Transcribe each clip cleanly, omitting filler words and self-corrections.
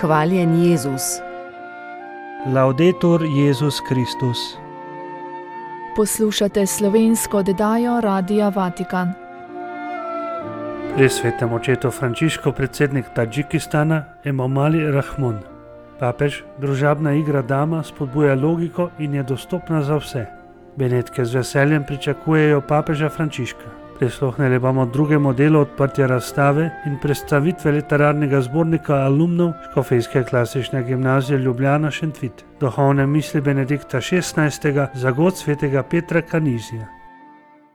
Hvaljen Jezus. Laudetur Jezus Kristus. Poslušate slovensko oddajo Radia Vatikan. Pri svetem očetu Frančišku predsednik Tadžikistana Emomali Rahmon. Papež, družabna igra dama spodbuja logiko in je dostopna za vse. Benetke z veseljem pričakujejo papeža Frančiška. Prisluhnili bomo drugemu delu odprtja razstave in predstavitve literarnega zbornika alumnov Škofijske klasične gimnazije Ljubljana Šentvit. Duhovne misli Benedikta XVI. Za god svetega Petra Kanizija.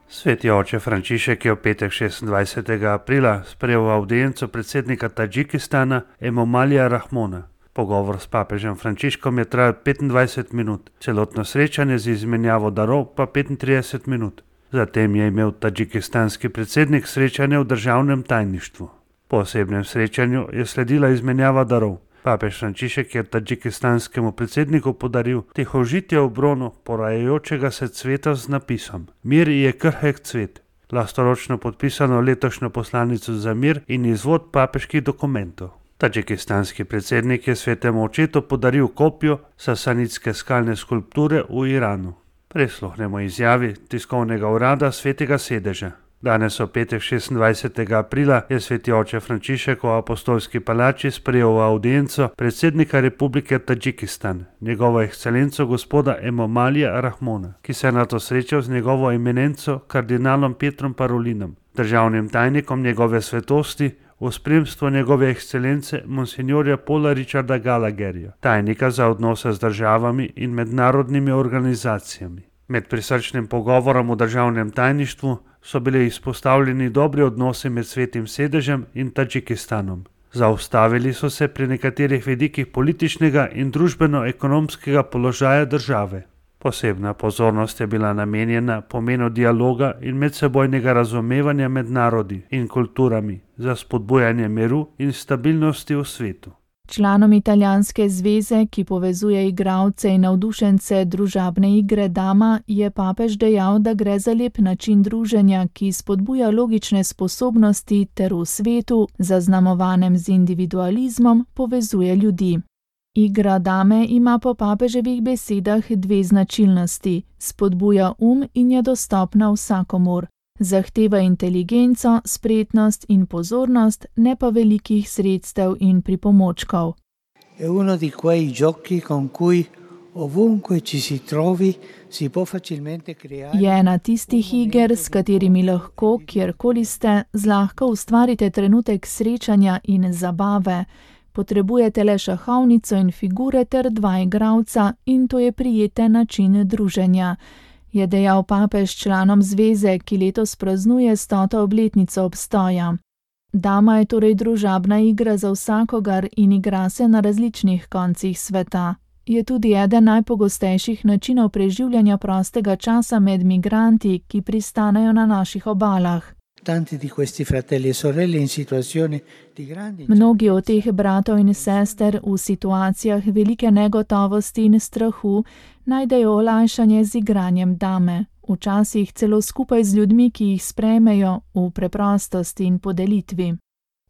Sveti oče Frančišek je v petek 26. aprila sprejel avdienco predsednika Tadžikistana Emomalija Rahmona. Pogovor s papežem Frančiškom je trajal 25 minut, celotno srečanje z izmenjavo darov pa 35 minut. Zatem je imel tadžikistanski predsednik srečanje v državnem tajništvu. Po osebnem srečanju je sledila izmenjava darov. Papež Frančišek je tadžikistanskemu predsedniku podaril tihožitje v bronu porajajočega se cveta z napisom: Mir je krhek cvet, lastoročno podpisano letošnjo poslanico za mir in izvod papeških dokumentov. Tadžikistanski predsednik je svetemu očetu podaril kopijo sasanitske skalne skulpture v Iranu. Prisluhnemo izjavi tiskovnega urada Svetega sedeža. Danes v petek 26. aprila je sveti oče Frančišek v apostolski palači sprejel avdienco predsednika Republike Tadžikistan, njegovo ekscelenco gospoda Emomalija Rahmona, ki se je nato srečal z njegovo eminenco kardinalom Petrom Parolinom, državnim tajnikom njegove svetosti, v spremstvu njegove ekscelence monsinjorja Paula Richarda Gallagherja, tajnika za odnose z državami in mednarodnimi organizacijami. Med prisrčnim pogovorom v državnem tajništvu so bili izpostavljeni dobri odnosi med svetim sedežem in Tadžikistanom. Zaustavili so se pri nekaterih vidikih političnega in družbeno-ekonomskega položaja države. Posebna pozornost je bila namenjena pomenu dialoga in medsebojnega razumevanja med narodi in kulturami za spodbujanje miru in stabilnosti v svetu. Članom italijanske zveze, ki povezuje igralce in navdušence družabne igre dama, je papež dejal, da gre za lep način druženja, ki spodbuja logične sposobnosti ter v svetu, zaznamovanem z individualizmom, povezuje ljudi. Igra dame ima po papeževih besedah dve značilnosti: spodbuja in je dostopna vsakomur. Zahteva inteligenco, spretnost in pozornost, ne pa velikih sredstev in pripomočkov. È uno di quei giochi con cui ovunque ci si trovi si può facilmente creare. Je ena tistih iger, s katerimi lahko, kjerkoli ste, zlahka ustvarite trenutek srečanja in zabave. Potrebujete le šahovnico in figure ter dva igralca in to je prijeten način druženja, je dejal papež članom zveze, ki letos praznuje 100. obletnico obstoja. Dama je torej družabna igra za vsakogar in igra se na različnih koncih sveta. Je tudi eden najpogostejših načinov preživljanja prostega časa med migranti, ki pristanejo na naših obalah. Mnogi od teh bratov in sester v situacijah velike negotovosti in strahu najdejo olajšanje z igranjem dame, včasih celo skupaj z ljudmi, ki jih sprejmejo, v preprostosti in podelitvi.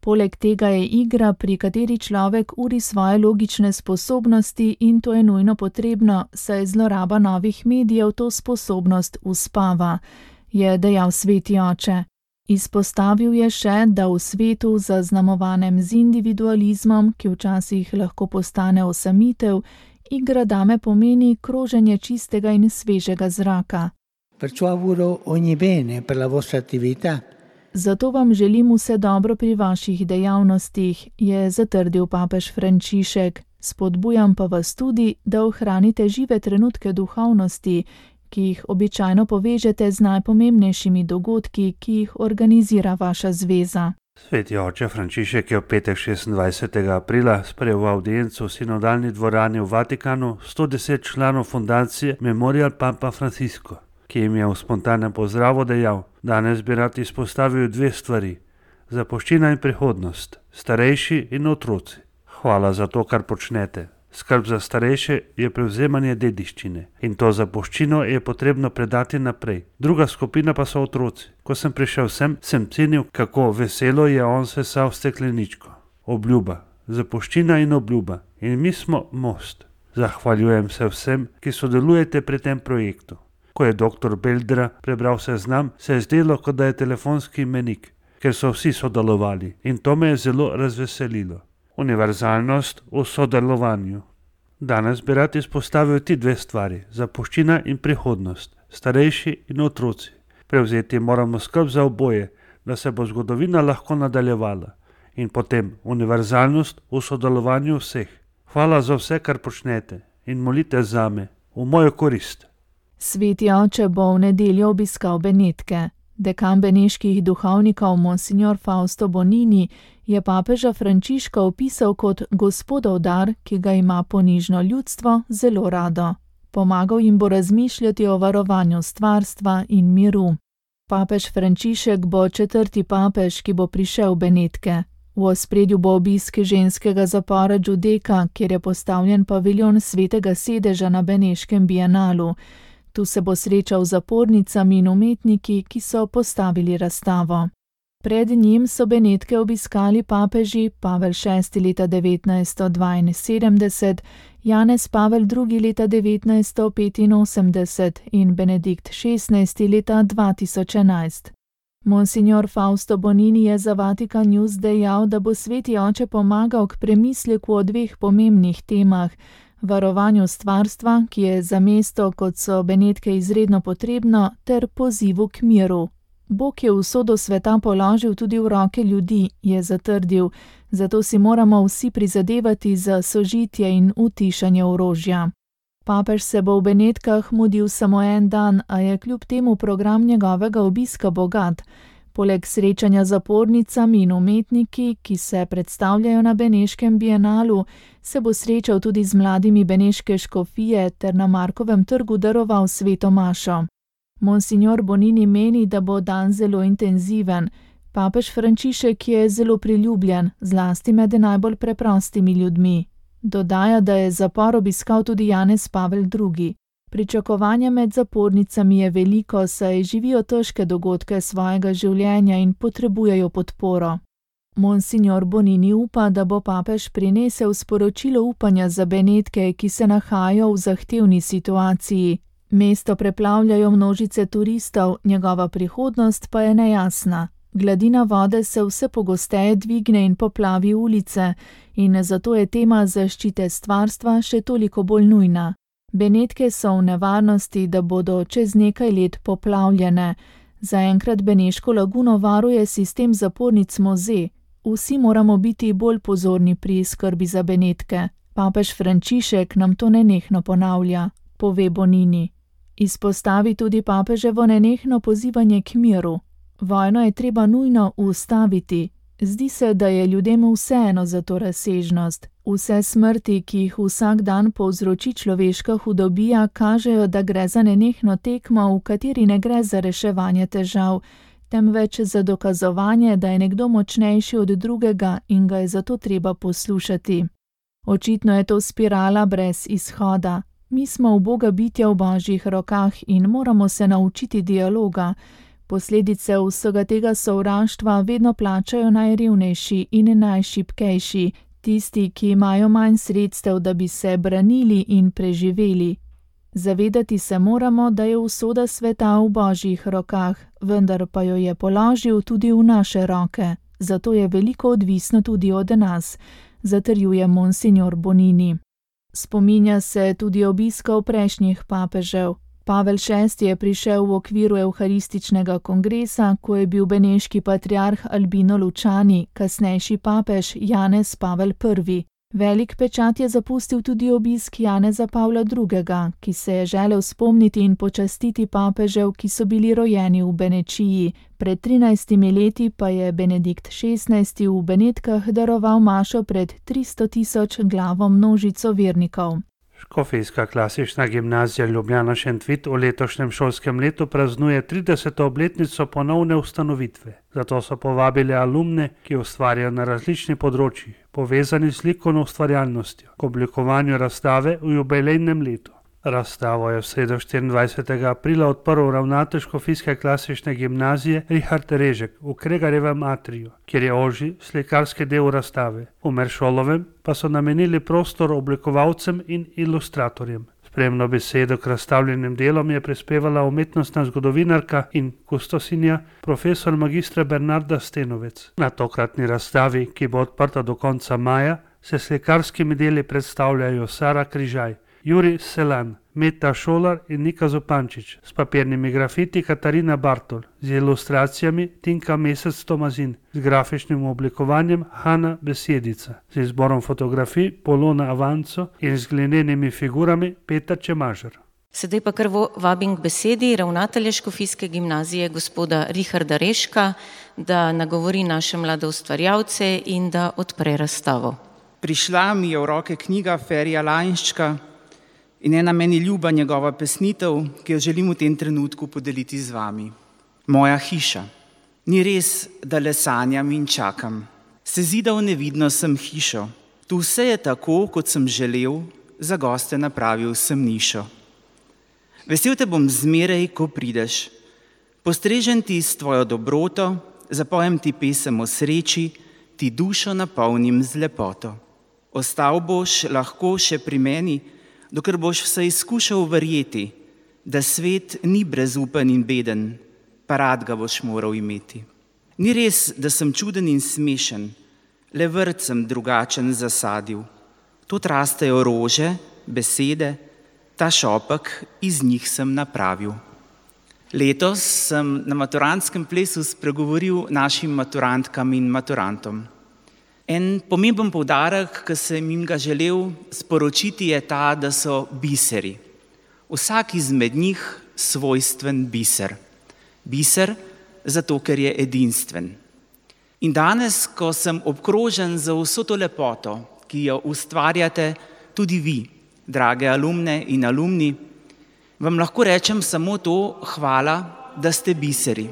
Poleg tega je igra, pri kateri človek uri svoje logične sposobnosti in to je nujno potrebno, saj zloraba novih medijev to sposobnost uspava, je dejal sveti oče. Izpostavil je še, da v svetu, zaznamovanem z individualizmom, ki včasih lahko postane osamitev, igra dame pomeni kroženje čistega in svežega zraka. Zato vam želim vse dobro pri vaših dejavnostih, je zatrdil papež Frančišek. Spodbujam pa vas tudi, da ohranite žive trenutke duhovnosti, ki jih običajno povežete z najpomembnejšimi dogodki, ki jih organizira vaša zveza. Sveti oče Frančišek je v petek 26. aprila sprejel avdienco v sinodalni dvorani v Vatikanu 110 članov fundacije Memorial Papa Francisco, ki jim je v spontanem pozdravu dejal: danes bi rad izpostavil dve stvari: zapuščina in prihodnost, starejši in otroci. Hvala za to, kar počnete. Skrb za starejše je prevzemanje dediščine in to zapuščino je potrebno predati naprej. Druga skupina pa so otroci. Ko sem prišel sem cenil, kako veselo je on sesal stekleničko. Obljuba, zapuščina in obljuba. In mi smo most. Zahvaljujem se vsem, ki sodelujete pri tem projektu. Ko je dr. Beldra prebral seznam, se je zdelo, kot da je telefonski imenik, ker so vsi sodelovali in to me je zelo razveselilo. Univerzalnost v sodelovanju. Danes bi rad izpostavil ti dve stvari, zapuščina in prihodnost, starejši in otroci. Prevzeti moramo skrb za oboje, da se bo zgodovina lahko nadaljevala. In potem univerzalnost v sodelovanju vseh. Hvala za vse, kar počnete in molite zame, v mojo korist. Sveti oče bo v nedeljo obiskal Benetke. Dekan beneških duhovnikov monsignor Fausto Bonini je papeža Frančiška opisal kot gospodov dar, ki ga ima ponižno ljudstvo zelo rado. Pomagal jim bo razmišljati o varovanju stvarstva in miru. Papež Frančišek bo 4. papež, ki bo prišel v Benetke. V ospredju bo obisk ženskega zapora Giudecca, kjer je postavljen paviljon svetega sedeža na beneškem bienalu. Tu se bo srečal z zapornicami in umetniki, ki so postavili razstavo. Pred njim so Benetke obiskali papeži Pavel VI leta 1972, Janez Pavel II leta 1985 in Benedikt XVI leta 2011. Monsignor Fausto Bonini je za Vatikan News dejal, da bo sveti oče pomagal k premisleku o dveh pomembnih temah, varovanju stvarstva, ki je za mesto, kot so Benetke, izredno potrebno, ter pozivu k miru. Bog je usodo sveta položil tudi v roke ljudi, je zatrdil, zato si moramo vsi prizadevati za sožitje in utišanje orožja. Papež se bo v Benetkah mudil samo en dan, a je kljub temu program njegovega obiska bogat. Poleg srečanja z zapornicami in umetniki, ki se predstavljajo na beneškem bienalu, se bo srečal tudi z mladimi beneške škofije ter na Markovem trgu daroval sveto mašo. Monsignor Bonini meni, da bo dan zelo intenziven. Papež Frančišek je zelo priljubljen, zlasti med najbolj preprostimi ljudmi. Dodaja, da je zapor obiskal tudi Janez Pavel II. Pričakovanja med zapornicami je veliko, saj živijo težke dogodke svojega življenja in potrebujejo podporo. Monsignor Bonini upa, da bo papež prinesel sporočilo upanja za Benetke, ki se nahajajo v zahtevni situaciji. Mesto preplavljajo množice turistov, njegova prihodnost pa je nejasna. Gladina vode se vse pogosteje dvigne in poplavi ulice in zato je tema zaščite stvarstva še toliko bolj nujna. Benetke so v nevarnosti, da bodo čez nekaj let poplavljene. Zaenkrat beneško laguno varuje sistem zapornic Moze. Vsi moramo biti bolj pozorni pri skrbi za Benetke. Papež Frančišek nam to nenehno ponavlja, pove Bonini. Izpostavi tudi papeževo nenehno pozivanje k miru. Vojno je treba nujno ustaviti. Zdi se, da je ljudem vseeno za to razsežnost. Vse smrti, ki jih vsak dan povzroči človeška hudobija, kažejo, da gre za nenehno tekmo, v kateri ne gre za reševanje težav, temveč za dokazovanje, da je nekdo močnejši od drugega in ga je zato treba poslušati. Očitno je to spirala brez izhoda. Mi smo uboga bitja v Božjih rokah in moramo se naučiti dialoga. Posledice vsega tega sovraštva vedno plačajo najrevnejši in najšibkejši, tisti, ki imajo manj sredstev, da bi se branili in preživeli. Zavedati se moramo, da je usoda sveta v Božjih rokah, vendar pa jo je položil tudi v naše roke, zato je veliko odvisno tudi od nas, zatrjuje monsignor Bonini. Spominja se tudi obiskov prejšnjih papežev. Pavel VI je prišel v okviru Evharističnega kongresa, ko je bil beneški patriarh Albino Lučani, kasnejši papež Janez Pavel I. Velik pečat je zapustil tudi obisk Janeza Pavla II., ki se je želel spomniti in počastiti papežev, ki so bili rojeni v Benečiji. Pred 13 leti pa je Benedikt XVI v Benetkah daroval mašo pred 300.000 glavo množico vernikov. Škofijska klasična gimnazija Ljubljana Šentvid v letošnjem šolskem letu praznuje 30. obletnico ponovne ustanovitve. Zato so povabili alumne, ki ustvarjajo na različnih področjih, povezani s likovno ustvarjalnostjo, k oblikovanju razstave v jubilejnem letu. Razstavo je v sredo 24. aprila odprl ravnatelj Škofijske klasične gimnazije Richard Režek v Kregarjevem atriju, kjer je ožji slikarski del razstave. V Meršolovem pa so namenili prostor oblikovalcem in ilustratorjem. Spremno besedo k razstavljenim delom je prispevala umetnostna zgodovinarka in kustosinja profesor magistra Bernarda Stenovec. Na tokratni razstavi, ki bo odprta do konca maja, se slikarskimi deli predstavljajo Sara Križaj, Jurij Selan, Meta Šolar in Nika Zupančič, s papirnimi grafiti Katarina Bartol, z ilustracijami Tinka Mesec Tomazin, z grafičnim oblikovanjem Hanna Besedica, z izborom fotografij Polona Avanco in z glinenimi figurami Petar Čemažer. Sedaj pa kar vabim k besedi ravnatelja Škofijske gimnazije gospoda Richarda Režka, da nagovori naše mlade ustvarjalce in da odpre razstavo. Prišla mi je v roke knjiga Ferija Lainščka in ena meni ljuba njegova pesnitev, ki jo želim v tem trenutku podeliti z vami. Moja hiša. Ni res, da le sanjam in čakam. Sezidal nevidno sem hišo. Tu vse je tako, kot sem želel, za goste napravil sem nišo. Vesel te bom zmeraj, ko prideš. Postrežen ti s tvojo dobroto, zapojem ti pesem o sreči, ti dušo napolnim z lepoto. Ostal boš lahko še pri meni, dokler boš vsaj skušal verjeti, da svet ni brezupen in beden, pa rad ga boš moral imeti. Ni res, da sem čuden in smešen, le vrt sem drugačen zasadil. Tod rastejo rože, besede, ta šopek iz njih sem napravil. Letos sem na maturantskem plesu spregovoril našim maturantkam in maturantom. En pomemben poudarek, ki sem jim ga želel sporočiti, je ta, da so biseri. Vsak izmed njih svojstven biser. Biser zato, ker je edinstven. In danes, ko sem obkrožen za vso to lepoto, ki jo ustvarjate tudi vi, drage alumne in alumni, vam lahko rečem samo to: hvala, da ste biseri.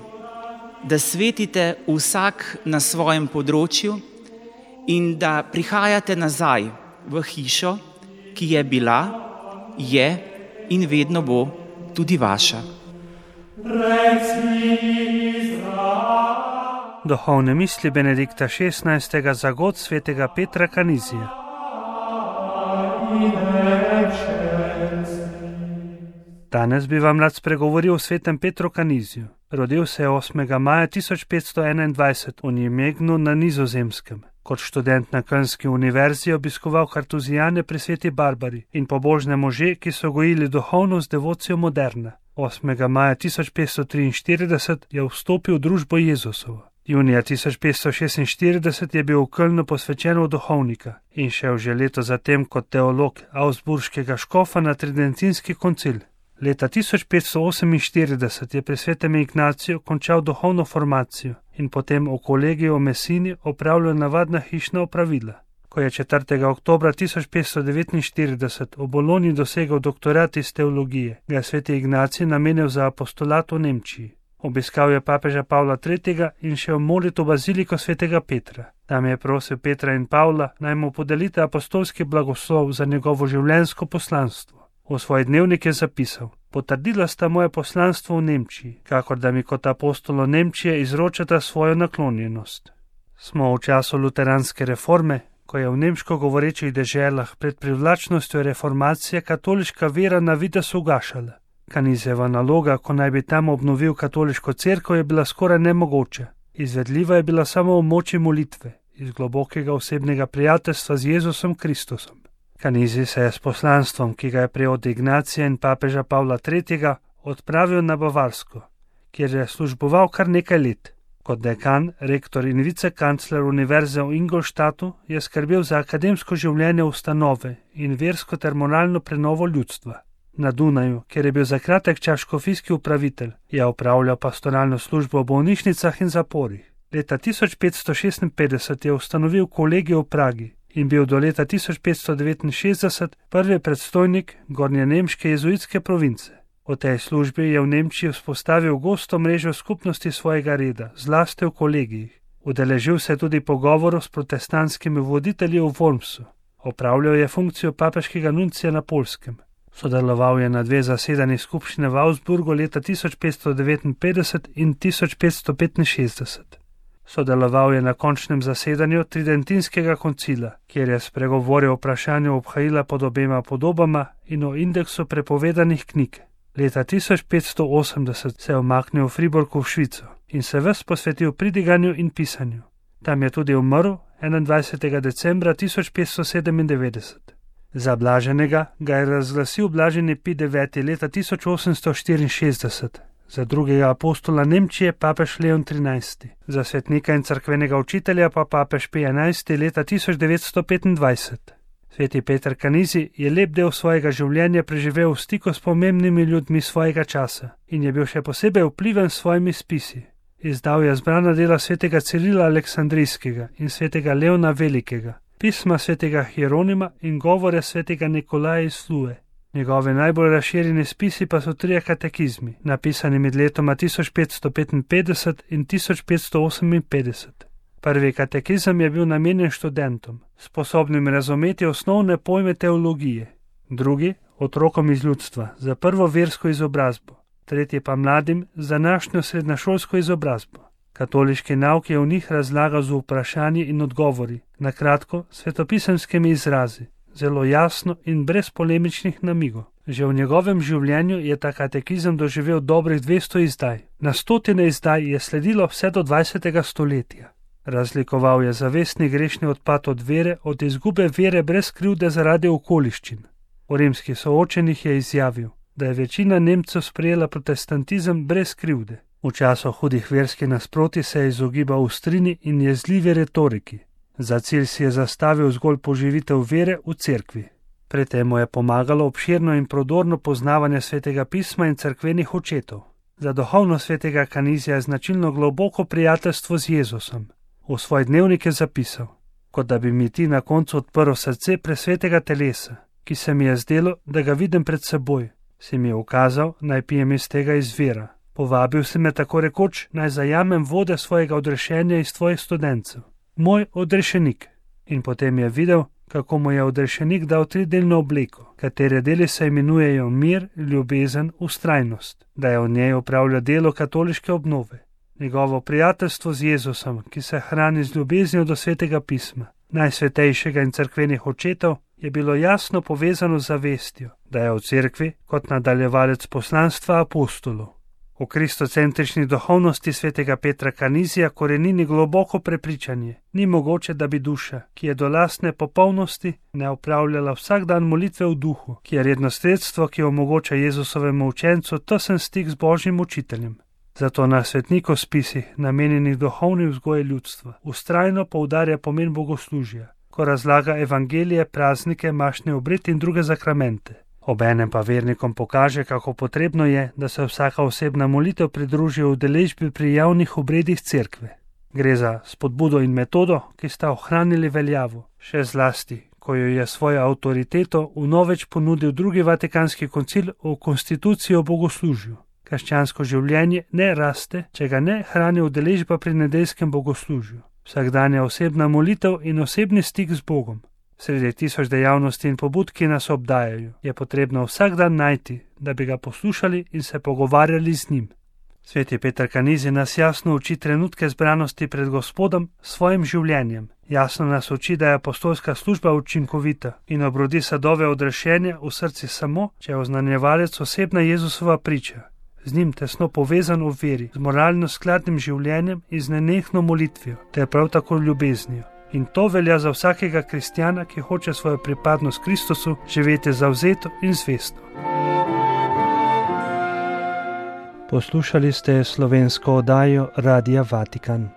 Da svetite vsak na svojem področju in da prihajate nazaj v hišo, ki je bila, je in vedno bo tudi vaša. Duhovne misli Benedikta XVI. Za god svetega Petra Kanizija. Danes bi vam rad spregovoril o svetem Petru Kaniziju. Rodil se je 8. maja 1521 v Nimegnu na Nizozemskem. Kot študent na Kölnski univerzi je obiskoval kartuzijane pri sveti Barbari in pobožne može, ki so gojili duhovnost devocijo moderna. 8. maja 1543 je vstopil v družbo Jezusovo. Junija 1546 je bil v Kölnu posvečen v duhovnika in šel že leto zatem kot teolog Augsburškega škofa na tridentinski koncil. Leta 1548 je pri svetem Ignaciju končal duhovno formacijo in potem v kolegiju v Messini opravljal navadna hišna opravila. Ko je 4. oktobra 1549 v Bologni dosegel doktorat iz teologije, ga je sveti Ignacij namenil za apostolat v Nemčiji. Obiskal je papeža Pavla III. In šel molit v baziliko svetega Petra. Tam je prosil Petra in Pavla, naj mu podelite apostolski blagoslov za njegovo življenjsko poslanstvo. V svoj dnevnik je zapisal: potrdila sta moje poslanstvo v Nemčiji, kakor da mi kot apostolo Nemčije izročata svojo naklonjenost. Smo v času luteranske reforme, ko je v nemško govorečih deželah pred privlačnostjo reformacije katoliška vera na videz ugašala. Kanizijeva naloga, ko naj bi tam obnovil katoliško cerkev, je bila skoraj nemogoča. Izvedljiva je bila samo v moči molitve, iz globokega osebnega prijateljstva z Jezusom Kristusom. Kanizij se je s poslanstvom, ki ga je prejel od Ignacija in papeža Pavla III., odpravil na Bavarsko, kjer je služboval kar nekaj let. Kot dekan, rektor in vicekancler univerze v Ingolstadtu je skrbel za akademsko življenje ustanove in versko ter moralno prenovo ljudstva. Na Dunaju, kjer je bil za kratek čas škofijski upravitelj, je opravljal pastoralno službo v bolnišnicah in zaporih. Leta 1556 je ustanovil kolegij v Pragi in bil do leta 1569 prvi predstojnik gornjenemške jezuitske province. V tej službi je v Nemčiji vzpostavil gosto mrežo skupnosti svojega reda, zlasti v kolegijih. Udeležil se tudi pogovorov s protestantskimi voditelji v Wormsu. Opravljal je funkcijo papeškega nuncija na Poljskem. V Sodeloval je na 2 zasedanji skupščine v Augsburgu leta 1559 in 1565. Sodeloval je na končnem zasedanju Tridentinskega koncila, kjer je spregovoril o vprašanju obhajila pod obema podobama in o indeksu prepovedanih knjig. Leta 1580 se je umaknil v Friburgu v Švico in se ves posvetil pridiganju in pisanju. Tam je tudi umrl 21. decembra 1597. Za blaženega ga je razglasil blaženi Pij IX. Leta 1864, za drugega apostola Nemčije papež Leon XIII., za svetnika in cerkvenega učitelja pa papež Pij XI. Leta 1925. Sveti Peter Kanizi je lep del svojega življenja preživel v stiku s pomembnimi ljudmi svojega časa in je bil še posebej vpliven s svojimi spisi. Izdal je zbrana dela svetega Cirila Aleksandrijskega in svetega Leona Velikega, pisma svetega Hieronima in govore svetega Nikolaja iz Flue. Njegove najbolj razširjeni spisi pa so 3 katekizmi, napisani med letoma 1555 in 1558. Prvi katekizem je bil namenjen študentom, sposobnim razumeti osnovne pojme teologije, drugi otrokom iz ljudstva za prvo versko izobrazbo, tretji pa mladim za današnjo srednješolsko izobrazbo. Katoliški nauk je v njih razlagal z vprašanji in odgovori, na kratko svetopisemskimi izrazi, zelo jasno in brez polemičnih namigov. Že v njegovem življenju je ta katekizem doživel dobrih 200 izdaj. Na stotine izdaj je sledilo vse do 20. stoletja. Razlikoval je zavestni grešni odpad od vere od izgube vere brez krivde zaradi okoliščin. V rimskih soočenjih je izjavil, da je večina Nemcev sprejela protestantizem brez krivde. V času hudih verskih nasprotij se je izogibal ostrini in jezljivi retoriki. Za cilj si je zastavil zgolj poživitev vere v cerkvi. Pri tem mu je pomagalo obširno in prodorno poznavanje svetega pisma in cerkvenih očetov. Za duhovnost svetega Kanizija je značilno globoko prijateljstvo z Jezusom. V svoj dnevnik je zapisal, kot da bi mi ti na koncu odprl srce presvetega telesa, ki se mi je zdelo, da ga vidim pred seboj. Si mi je ukazal, naj pijem iz tega izvira. Povabil si me tako rekoč, naj zajamem vode svojega odrešenja iz tvojih studencev. Moj odrešenik. In potem je videl, kako mu je odrešenik dal 3-delno obleko, katere deli se imenujejo mir, ljubezen, vztrajnost, da je v njej opravljal delo katoliške obnove. Njegovo prijateljstvo z Jezusom, ki se hrani z ljubeznijo do svetega pisma, najsvetejšega in cerkvenih očetov, je bilo jasno povezano z zavestjo, da je v cerkvi kot nadaljevalec poslanstva apostolov. V kristocentrični duhovnosti svetega Petra Kanizija korenini globoko prepričanje. Ni mogoče, da bi duša, ki je do lastne popolnosti, ne opravljala vsak dan molitve v duhu, ki je redno sredstvo, ki omogoča Jezusovemu učencu tesen stik z Božjim učiteljem. Zato na svetnikov spisih, namenjenih duhovni vzgoji ljudstva, vztrajno poudarja pomen bogoslužja, ko razlaga evangelije, praznike, mašni obred in druge zakramente. Obenem pa vernikom pokaže, kako potrebno je, da se vsaka osebna molitev pridruži udeležbi pri javnih obredih cerkve. Gre za spodbudo in metodo, ki sta ohranili veljavo, še zlasti, ko jo je svojo avtoriteto vnoveč ponudil drugi Vatikanski koncil v konstituciji o bogoslužju. Krščansko življenje ne raste, če ga ne hrani udeležba pri nedeljskem bogoslužju. Vsakdanja osebna molitev in osebni stik z Bogom. Sredi tisoč dejavnosti in pobud, ki nas obdajajo, je potrebno vsak dan najti, da bi ga poslušali in se pogovarjali z njim. Sveti Peter Kanizi nas jasno uči trenutke zbranosti pred Gospodom s svojim življenjem. Jasno nas uči, da je apostolska služba učinkovita in obrodi sadove odrešenja v srci samo, če je oznanjevalec osebna Jezusova priča. Z njim tesno povezan v veri, z moralno skladnim življenjem in z nenehno molitvijo, ter prav tako ljubeznijo. In to velja za vsakega kristjana, ki hoče svojo pripadnost Kristusu živeti zavzeto in zvesto. Poslušali ste slovensko oddajo Radia Vatikan.